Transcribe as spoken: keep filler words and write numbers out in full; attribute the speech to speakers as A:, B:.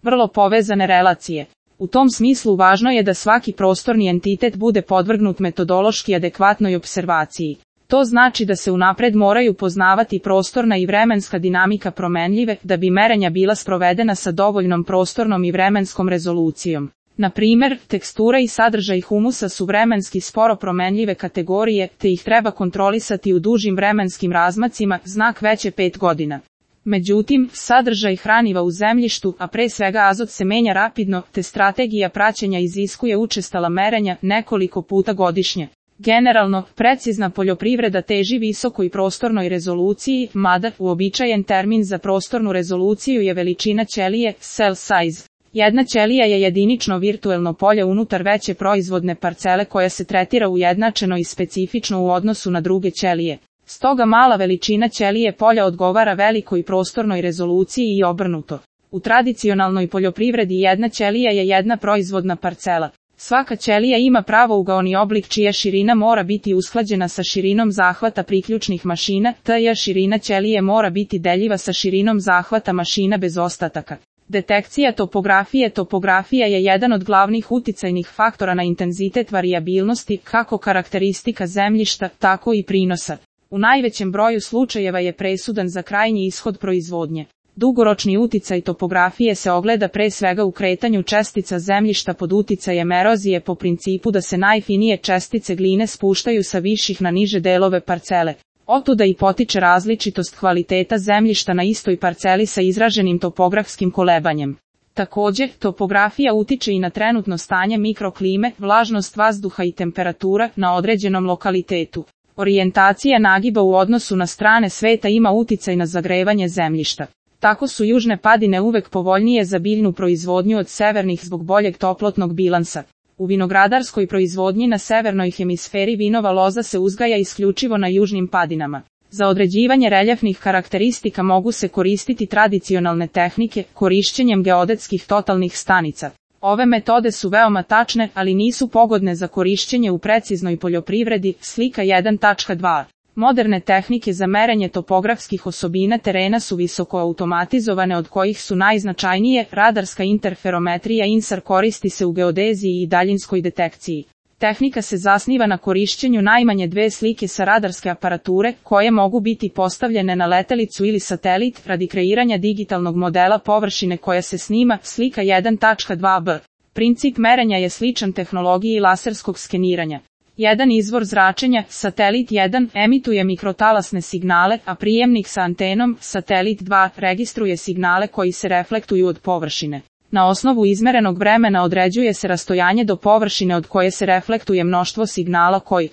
A: vrlo povezane relacije. U tom smislu važno je da svaki prostorni entitet bude podvrgnut metodološki adekvatnoj opservaciji. To znači da se unapred moraju poznavati prostorna i vremenska dinamika promenljive, da bi merenja bila sprovedena sa dovoljnom prostornom i vremenskom rezolucijom. Na primjer, tekstura i sadržaj humusa su vremenski sporo promenljive kategorije, te ih treba kontrolisati u dužim vremenskim razmacima, znak veće pet godina. Međutim, sadržaj hraniva u zemljištu, a pre svega azot se menja rapidno, te strategija praćenja iziskuje učestala merenja nekoliko puta godišnje. Generalno, precizna poljoprivreda teži visokoj prostornoj rezoluciji, mada uobičajen termin za prostornu rezoluciju je veličina ćelije, cell size. Jedna ćelija je jedinično virtuelno polje unutar veće proizvodne parcele koja se tretira ujednačeno i specifično u odnosu na druge ćelije. Stoga mala veličina ćelije polja odgovara velikoj prostornoj rezoluciji i obrnuto. U tradicionalnoj poljoprivredi jedna ćelija je jedna proizvodna parcela. Svaka ćelija ima pravougaoni oblik čija širina mora biti usklađena sa širinom zahvata priključnih mašina, tj. širina ćelije mora biti deljiva sa širinom zahvata mašina bez ostataka. Detekcija topografije. Topografija je jedan od glavnih uticajnih faktora na intenzitet varijabilnosti, kako karakteristika zemljišta, tako i prinosa. U najvećem broju slučajeva je presudan za krajnji ishod proizvodnje. Dugoročni uticaj topografije se ogleda pre svega u kretanju čestica zemljišta pod uticajem erozije po principu da se najfinije čestice gline spuštaju sa viših na niže delove parcele. Otuda i potiče različitost kvaliteta zemljišta na istoj parceli sa izraženim topografskim kolebanjem. Također, topografija utiče i na trenutno stanje mikroklime, vlažnost vazduha i temperatura na određenom lokalitetu. Orijentacija nagiba u odnosu na strane sveta ima uticaj na zagrevanje zemljišta. Tako su južne padine uvek povoljnije za biljnu proizvodnju od severnih zbog boljeg toplotnog bilansa. U vinogradarskoj proizvodnji na severnoj hemisferi vinova loza se uzgaja isključivo na južnim padinama. Za određivanje reljefnih karakteristika mogu se koristiti tradicionalne tehnike, korišćenjem geodetskih totalnih stanica. Ove metode su veoma tačne, ali nisu pogodne za korišćenje u preciznoj poljoprivredi, slika jedan tačka dva. Moderne tehnike za merenje topografskih osobina terena su visoko automatizovane, od kojih su najznačajnije radarska interferometrija I N S A R koristi se u geodeziji i daljinskoj detekciji. Tehnika se zasniva na korišćenju najmanje dve slike sa radarske aparature, koje mogu biti postavljene na letelicu ili satelit radi kreiranja digitalnog modela površine koja se snima, slika jedan tačka dva b. Princip merenja je sličan tehnologiji laserskog skeniranja. Jedan izvor zračenja, satelit jedan, emituje mikrotalasne signale, a prijemnik sa antenom, satelit dva, registruje signale koji se reflektuju od površine. Na osnovu izmerenog vremena određuje se rastojanje do površine od koje se reflektuje mnoštvo signala koji